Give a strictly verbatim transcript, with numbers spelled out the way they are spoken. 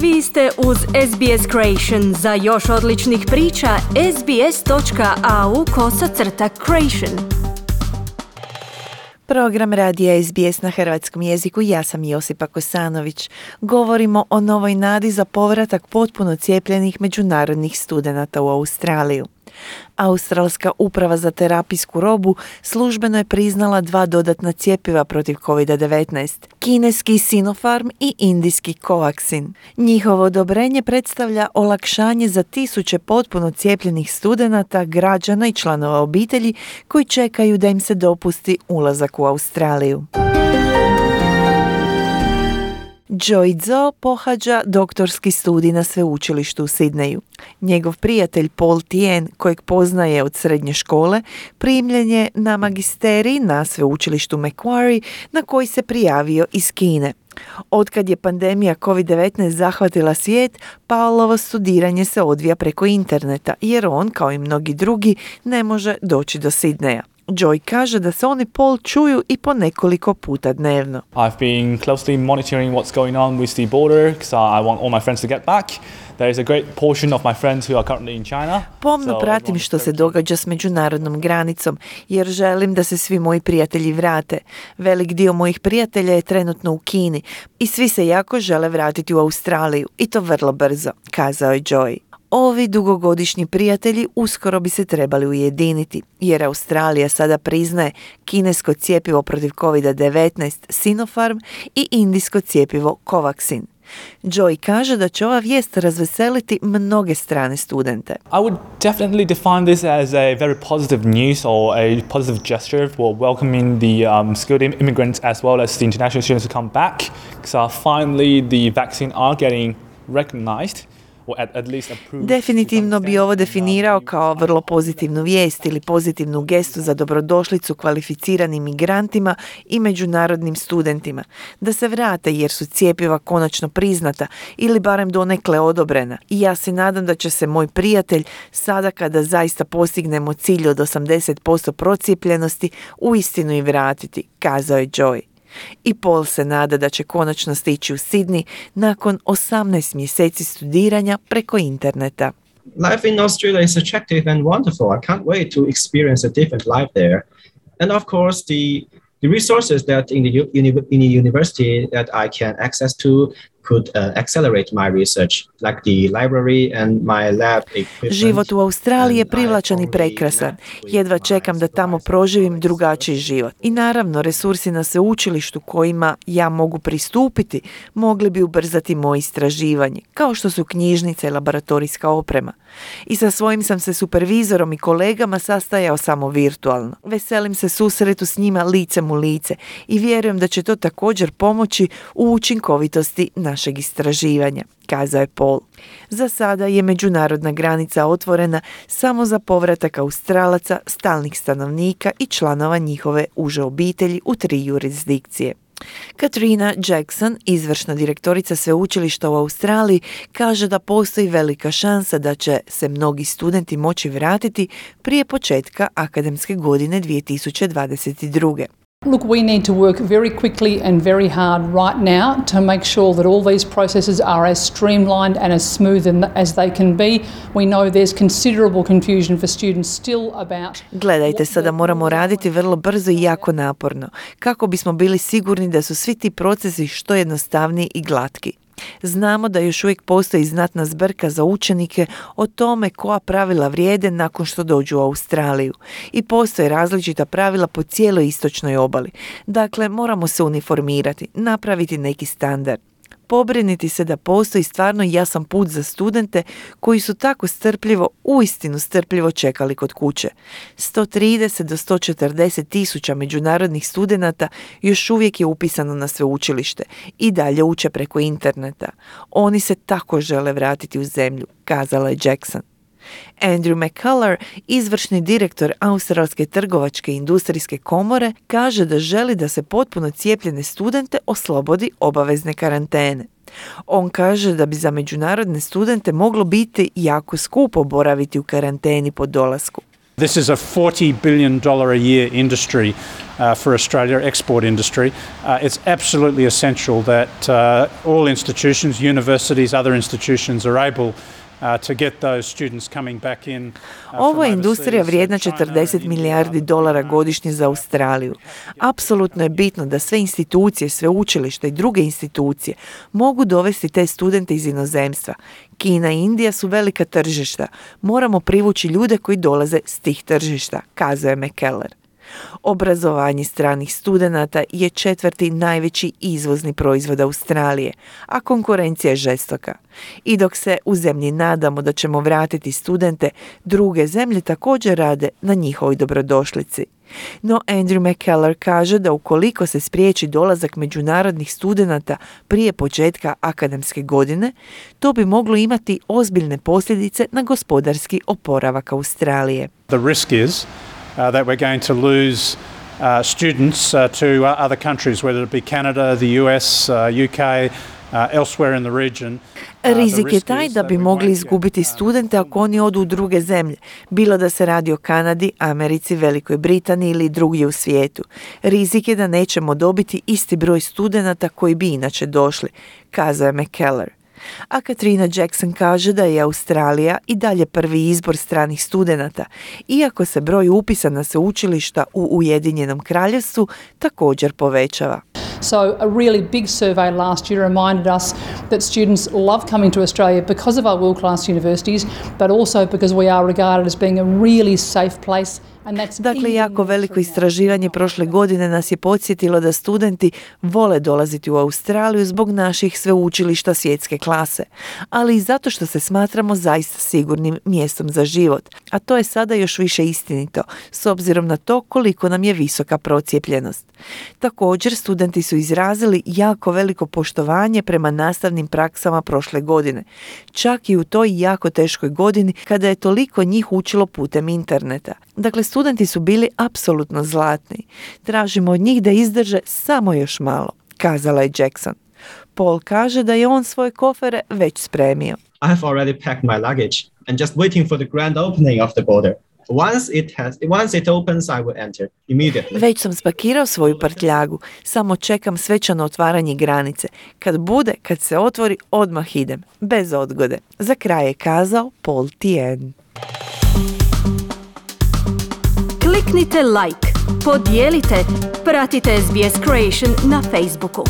Vi ste uz S B S Creation. Za još odličnih priča, sbs.au kosacrta creation. Program radija S B S na hrvatskom jeziku. Ja sam Josipa Kosanović. Govorimo o novoj nadi za povratak potpuno cijepljenih međunarodnih studenata u Australiju. Australska uprava za terapijsku robu službeno je priznala dva dodatna cjepiva protiv covid devetnaest, kineski Sinopharm i indijski Covaxin. Njihovo odobrenje predstavlja olakšanje za tisuće potpuno cijepljenih studenata, građana i članova obitelji koji čekaju da im se dopusti ulazak u Australiju. Joy Zhou pohađa doktorski studij na sveučilištu u Sidneju. Njegov prijatelj Paul Tien, kojeg poznaje od srednje škole, primljen je na magisterij na sveučilištu Macquarie, na koji se prijavio iz Kine. Otkad je pandemija covid devetnaest zahvatila svijet, Paulovo studiranje se odvija preko interneta, jer on, kao i mnogi drugi, ne može doći do Sidneja. Joy kaže da se oni Paul čuju i po nekoliko puta dnevno. I've been closely monitoring what's going on with the border because I want all my friends to get back. There is a great portion of my friends who are currently in China. Pomno pratim što se događa s međunarodnom granicom, jer želim da se svi moji prijatelji vrate. Velik dio mojih prijatelja je trenutno u Kini i svi se jako žele vratiti u Australiju i to vrlo brzo, kazao je Joy. Ovi dugogodišnji prijatelji uskoro bi se trebali ujediniti, jer Australija sada priznaje kinesko cjepivo protiv covid devetnaest Sinopharm i indijsko cjepivo Covaxin. Joy kaže da će ova vijest razveseliti mnoge strane studente. I would definitely define this as a very positive news or a positive gesture for welcoming the um, skilled immigrants as well as the international students to come back, because uh, finally the vaccine are getting recognized. Definitivno bi ovo definirao kao vrlo pozitivnu vijest ili pozitivnu gestu za dobrodošlicu kvalificiranim migrantima i međunarodnim studentima, da se vrate jer su cjepiva konačno priznata ili barem donekle odobrena. I ja se nadam da će se moj prijatelj, sada kada zaista postignemo cilj od osamdeset posto procijepljenosti, uistinu i vratiti, kazao je Joy. I Paul se nada da će konačno stići u Sydney nakon osamnaest mjeseci studiranja preko interneta. Life in Australia is attractive and wonderful. I can't wait to experience a different life there. And of course, the the resources that in the uni- in the university that I can access to could uh, accelerate my research, like the library and my lab equipment. Život u Australiji je privlačan i prekrasan. Jedva čekam da tamo proživim drugačiji život. I naravno, resursi na sveučilištu kojima ja mogu pristupiti mogli bi ubrzati moje istraživanje, kao što su knjižnice i laboratorijska oprema. I sa svojim sam se supervizorom i kolegama sastajao samo virtualno. Veselim se susretu s njima licem u lice i vjerujem da će to također pomoći u učinkovitosti našeg istraživanja, kazao je Paul. Za sada je međunarodna granica otvorena samo za povratak Australaca, stalnih stanovnika i članova njihove uže obitelji u tri jurisdikcije. Katrina Jackson, izvršna direktorica sveučilišta u Australiji, kaže da postoji velika šansa da će se mnogi studenti moći vratiti prije početka akademske godine dvije tisuće dvadeset druge. Look, we need to work very quickly and very hard right now to make sure that all these processes are as streamlined and as smooth as they can be. We know there's considerable confusion for students still about... Gledajte, sada moramo raditi vrlo brzo i jako naporno, kako bismo bili sigurni da su svi ti procesi što jednostavniji i glatki. Znamo da još uvijek postoji znatna zbrka za učenike o tome koja pravila vrijede nakon što dođu u Australiju i postoje različita pravila po cijeloj istočnoj obali. Dakle, moramo se uniformirati, napraviti neki standard. Pobriniti se da postoji stvarno jasan put za studente koji su tako strpljivo, uistinu strpljivo čekali kod kuće. sto trideset do sto četrdeset tisuća međunarodnih studenata još uvijek je upisano na sveučilište i dalje uče preko interneta. Oni se tako žele vratiti u zemlju, kazala je Jackson. Andrew McCullough, izvršni direktor Australske trgovačke i industrijske komore, kaže da želi da se potpuno cijepljene studente oslobodi obavezne karantene. On kaže da bi za međunarodne studente moglo biti jako skupo boraviti u karanteni po dolasku. This is a forty billion dollars a year industry uh, for Australia, export industry. Uh, it's absolutely essential that uh, all institutions, universities, other institutions are able Uh, to get those students coming back in, uh, Ovo je industrija vrijedna četrdeset milijardi dolara godišnje za Australiju. Apsolutno je bitno da sve institucije, sveučilišta i druge institucije mogu dovesti te studente iz inozemstva. Kina i Indija su velika tržišta. Moramo privući ljude koji dolaze s tih tržišta, kazuje McKellar. Obrazovanje stranih studenata je četvrti najveći izvozni proizvod Australije, a konkurencija je žestoka. I dok se u zemlji nadamo da ćemo vratiti studente, druge zemlje također rade na njihovoj dobrodošlici. No Andrew McKellar kaže da ukoliko se spriječi dolazak međunarodnih studenata prije početka akademske godine, to bi moglo imati ozbiljne posljedice na gospodarski oporavak Australije. The risk is Uh, that we're going to lose uh, students uh, to uh, other countries, whether it be Canada, the U S, uh, U K, uh, elsewhere in the region. Rizik je taj da bi mogli izgubiti studente ako oni odu u druge zemlje, bilo da se radi o Kanadi, Americi, Velikoj Britaniji ili drugdje u svijetu. Rizik je da nećemo dobiti isti broj studenata koji bi inače došli, kazao je McKellar. A Katrina Jackson kaže da je Australija i dalje prvi izbor stranih studenata, iako se broj upisa na sveučilišta u Ujedinjenom Kraljevstvu također povećava. So a really big survey last year reminded us that students love coming to Australia because of our world-class universities, but also because we are regarded as being a really safe place. Dakle, jako veliko istraživanje prošle godine nas je podsjetilo da studenti vole dolaziti u Australiju zbog naših sveučilišta svjetske klase, ali i zato što se smatramo zaista sigurnim mjestom za život, a to je sada još više istinito, s obzirom na to koliko nam je visoka procijepljenost. Također, studenti su izrazili jako veliko poštovanje prema nastavnim praksama prošle godine, čak i u toj jako teškoj godini kada je toliko njih učilo putem interneta. Dakle, studenti su bili apsolutno zlatni. Tražimo od njih da izdrže samo još malo, kazala je Jackson. Paul kaže da je on svoje kofere već spremio. I have already packed my luggage and just waiting for the grand opening of the border. Once it has, once it opens, I will enter immediately. Već sam spakirao svoju prtljagu, samo čekam svečano otvaranje granice. Kad bude, kad se otvori, odmah idem, bez odgode. Za kraj je kazao Paul Tien. Kliknite like, podijelite, pratite S B S Creation na Facebooku.